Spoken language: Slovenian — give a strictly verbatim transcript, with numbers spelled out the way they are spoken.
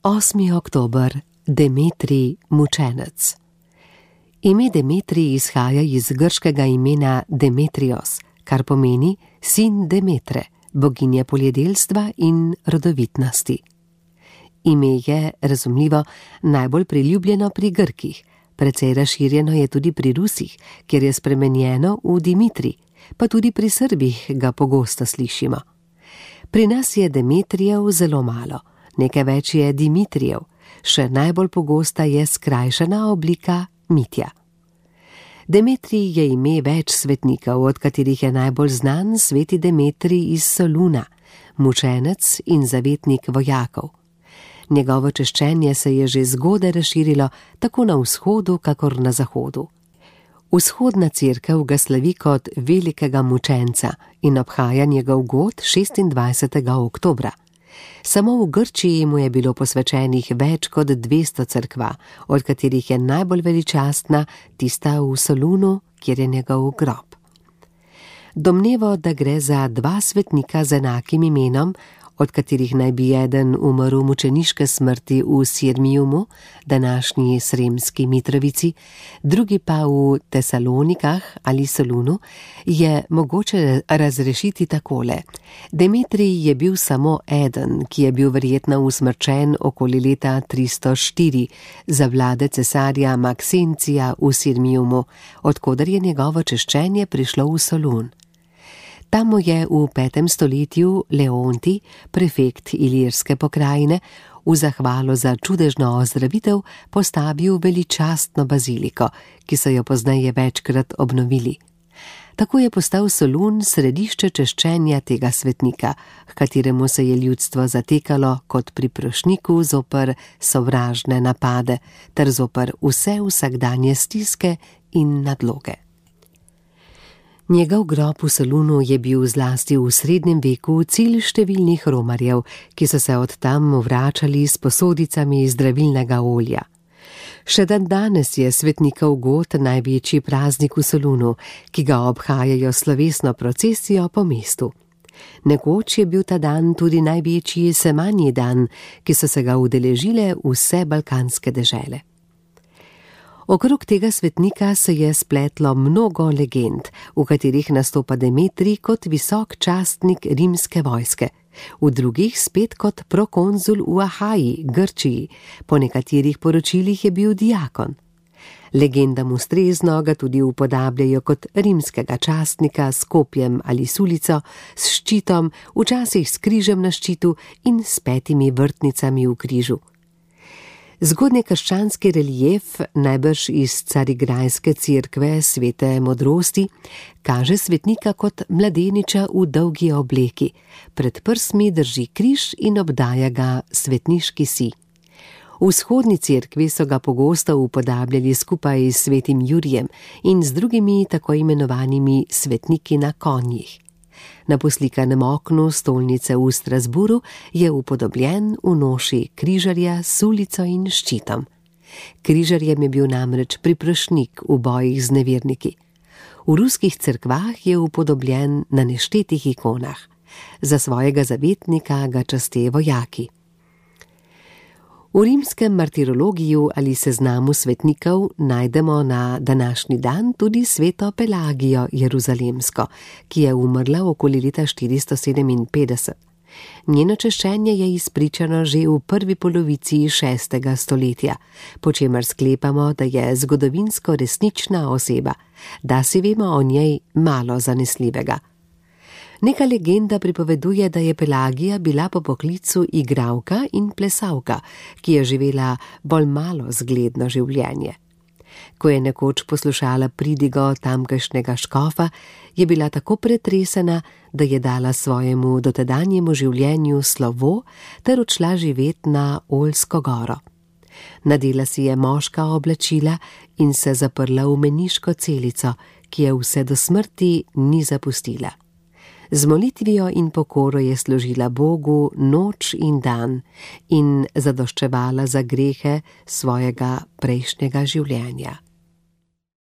osmi oktober, Demetrij mučenec. Ime Demetrij izhaja iz grškega imena Demetrios, kar pomeni sin Demetre, boginje poljedelstva in rodovitnosti. Ime je, razumljivo, najbolj priljubljeno pri Grkih, precej razširjeno je tudi pri Rusih, kjer je spremenjeno v Dimitrij, pa tudi pri Srbih ga pogosto slišimo. Pri nas je Demetrijev zelo malo, nekaj več je Dimitrijev, še najbolj pogosta je skrajšana oblika Mitja. Demetrij je ime več svetnikov, od katerih je najbolj znan sveti Demetrij iz Soluna, mučenec in zavetnik vojakov. Njegovo češčenje se je že zgodaj razširilo tako na vzhodu, kakor na zahodu. Vzhodna cerkev ga slavi kot velikega mučenca in obhaja njegov god šestindvajsetega oktobra. Samo v Grčiji mu je bilo posvečenih več kot dvesto cerkva, od katerih je najbolj veličastna tista v Solunu, kjer je njegov grob. Domnevo, da gre za dva svetnika z enakim imenom, od katerih naj bi eden umrl mučeniške smrti v Sirmijumu, današnji Sremski Mitrovici, drugi pa v Tesalonikah ali Solunu, je mogoče razrešiti takole. Demetrij je bil samo eden, ki je bil verjetno usmrčen okoli leta tristo štiri za vlade cesarja Maksencija v Sirmijumu, odkoder je njegovo češčenje prišlo v Solun. Tam mu je v petem stoletju Leonti, prefekt Ilirske pokrajine, v zahvalo za čudežno ozdravitev postavil veličastno baziliko, ki so jo pozneje večkrat obnovili. Tako je postal Solun središče češčenja tega svetnika, h kateremu se je ljudstvo zatekalo kot priprošniku zoper sovražne napade ter zoper vse vsakdanje stiske in nadloge. Njegov grob v Solunu je bil zlasti v srednjem veku cilj številnih romarjev, ki so se od tam vračali s posodicami zdravilnega olja. Še dan danes je svetnikov god največji praznik v Solunu, ki ga obhajajo slovesno procesijo po mestu. Nekoč je bil ta dan tudi največji semanji dan, ki so se ga udeležile vse balkanske dežele. Okrog tega svetnika se je spletlo mnogo legend, v katerih nastopa Demetrij kot visok častnik rimske vojske, v drugih spet kot prokonzul v Ahaji, Grčiji, po nekaterih poročilih je bil diakon. Legendam ustrezno ga tudi upodabljajo kot rimskega častnika s kopjem ali sulico, s ščitom, včasih s križem na ščitu in s petimi vrtnicami v križu. Zgodnjekrščanski relief, najbrž iz Carigrajske cerkve svete modrosti, kaže svetnika kot mladeniča v dolgi obleki, pred prsmi drži križ in obdaja ga svetniški sij. V vzhodni cerkvi so ga pogosto upodabljali skupaj s svetim Jurijem in z drugimi tako imenovanimi svetniki na konjih. Na poslikanem oknu stolnice v Strasburu je upodobljen v noši križarja s sulico in ščitom. Križarjem je bil namreč priprošnik v bojih z neverniki. V ruskih cerkvah je upodobljen na neštetih ikonah. Za svojega zavetnika ga časte vojaki. V rimskem martirologiju ali seznamu svetnikov najdemo na današnji dan tudi sveto Pelagijo Jeruzalemsko, ki je umrla okoli leta štiristo sedeminpetdeset. Njeno češčenje je izpričano že v prvi polovici šestega stoletja, po čemer sklepamo, da je zgodovinsko resnična oseba, da si vemo o njej malo zanesljivega. Neka legenda pripoveduje, da je Pelagija bila po poklicu igralka in plesalka, ki je živela bolj malo zgledno življenje. Ko je nekoč poslušala pridigo tamkajšnjega škofa, je bila tako pretresena, da je dala svojemu dotedanjemu življenju slovo ter odšla živet na Oljsko goro. Nadela si je moška oblačila in se zaprla v meniško celico, ki je vse do smrti ni zapustila. Z molitvijo in pokoro je služila Bogu noč in dan in zadoščevala za grehe svojega prejšnjega življenja.